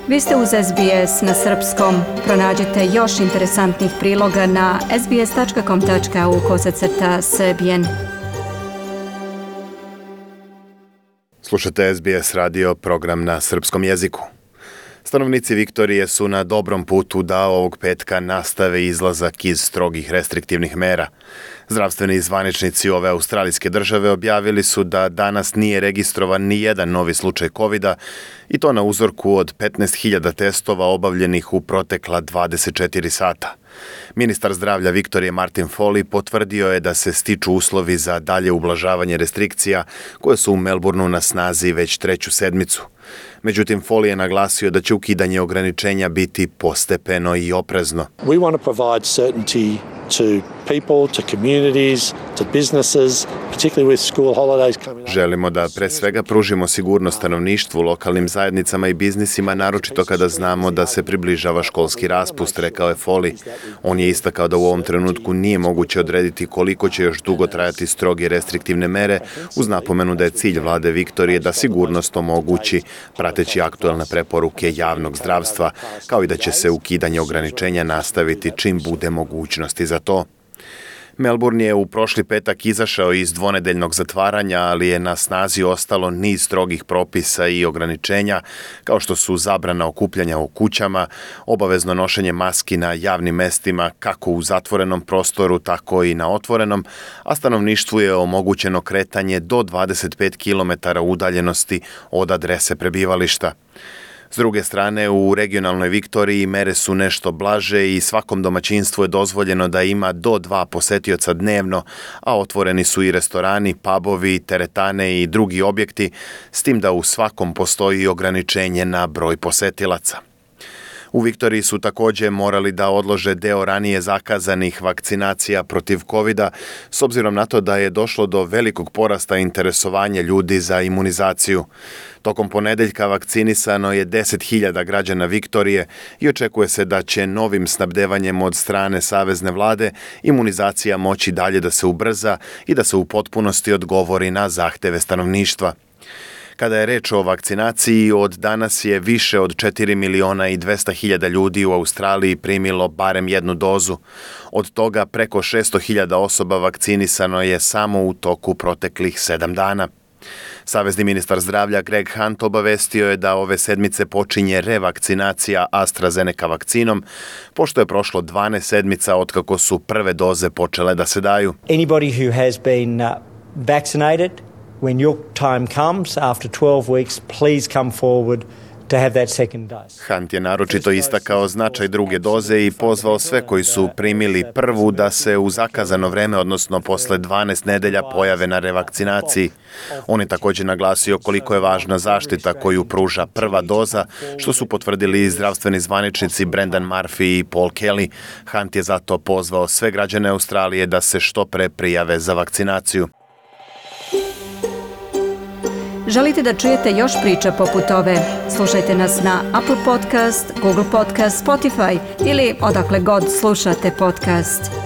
Vi ste uz SBS na srpskom. Pronađite još interesantnih priloga na sbs.com.au/srbijen. Slušate SBS radio, program na srpskom jeziku. Stanovnici Viktorije su na dobrom putu da ovog petka nastave izlazak iz strogih restriktivnih mera. Zdravstveni zvaničnici ove australijske države objavili su da danas nije registrovan ni jedan novi slučaj COVID-a i to na uzorku od 15.000 testova obavljenih u protekla 24 sata. Ministar zdravlja Viktorije Martin Foley potvrdio je da se stiču uslovi za dalje ublažavanje restrikcija koje su u Melbourneu na snazi već treću sedmicu. Međutim, Foley je naglasio da će ukidanje ograničenja biti postepeno i oprezno. We want to provide certainty to people, to communities, to businesses, particularly with school holidays coming up. Želimo da pre svega pružimo sigurnost stanovništvu, lokalnim zajednicama i biznisima, naročito kada znamo da se približava školski raspust, rekao je Foley. On je istakao da u ovom trenutku nije moguće odrediti koliko će još dugo trajati stroge restriktivne mere, uz napomenu da je cilj vlade Viktorije da sigurnost omogući prateći aktuelne preporuke javnog zdravstva, kao i da će se ukidanje ograničenja nastaviti čim bude mogućnosti za to. Melbourne je u prošli petak izašao iz dvonedeljnog zatvaranja, ali je na snazi ostalo niz strogih propisa i ograničenja, kao što su zabrana okupljanja u kućama, obavezno nošenje maski na javnim mestima, kako u zatvorenom prostoru, tako i na otvorenom, a stanovništvu je omogućeno kretanje do 25 km udaljenosti od adrese prebivališta. S druge strane, u regionalnoj Viktoriji mere su nešto blaže i svakom domaćinstvu je dozvoljeno da ima do 2 posetioca dnevno, a otvoreni su i restorani, pubovi, teretane i drugi objekti, s tim da u svakom postoji ograničenje na broj posetilaca. U Viktoriji su također morali da odlože deo ranije zakazanih vakcinacija protiv COVID-a, s obzirom na to da je došlo do velikog porasta interesovanja ljudi za imunizaciju. Tokom ponedeljka vakcinisano je 10.000 građana Viktorije i očekuje se da će novim snabdevanjem od strane savezne vlade imunizacija moći dalje da se ubrza i da se u potpunosti odgovori na zahteve stanovništva. Kada je reč o vakcinaciji, od danas je više od 4.200.000 ljudi u Australiji primilo barem jednu dozu. Od toga preko 600.000 osoba vakcinisano je samo u toku proteklih 7 dana. Savezni ministar zdravlja Greg Hunt obavestio je da ove sedmice počinje revakcinacija AstraZeneca vakcinom, pošto je prošlo 12 sedmica otkako su prve doze počele da se daju. Anybody who has been vaccinated, when your time comes after 12 weeks, please come forward to have that second dose. Hunt je naročito istakao značaj druge doze i pozvao sve koji su primili prvu da se u zakazano vreme, odnosno posle 12 nedelja, pojave na revakcinaciji. On je također naglasio koliko je važna zaštita koju pruža prva doza, što su potvrdili i zdravstveni zvaničnici Brendan Murphy i Paul Kelly. Hunt je zato pozvao sve građane Australije da se što pre prijave za vakcinaciju. Želite da čujete još priča poput ove? Slušajte nas na Apple Podcast, Google Podcast, Spotify ili odakle god slušate podcast.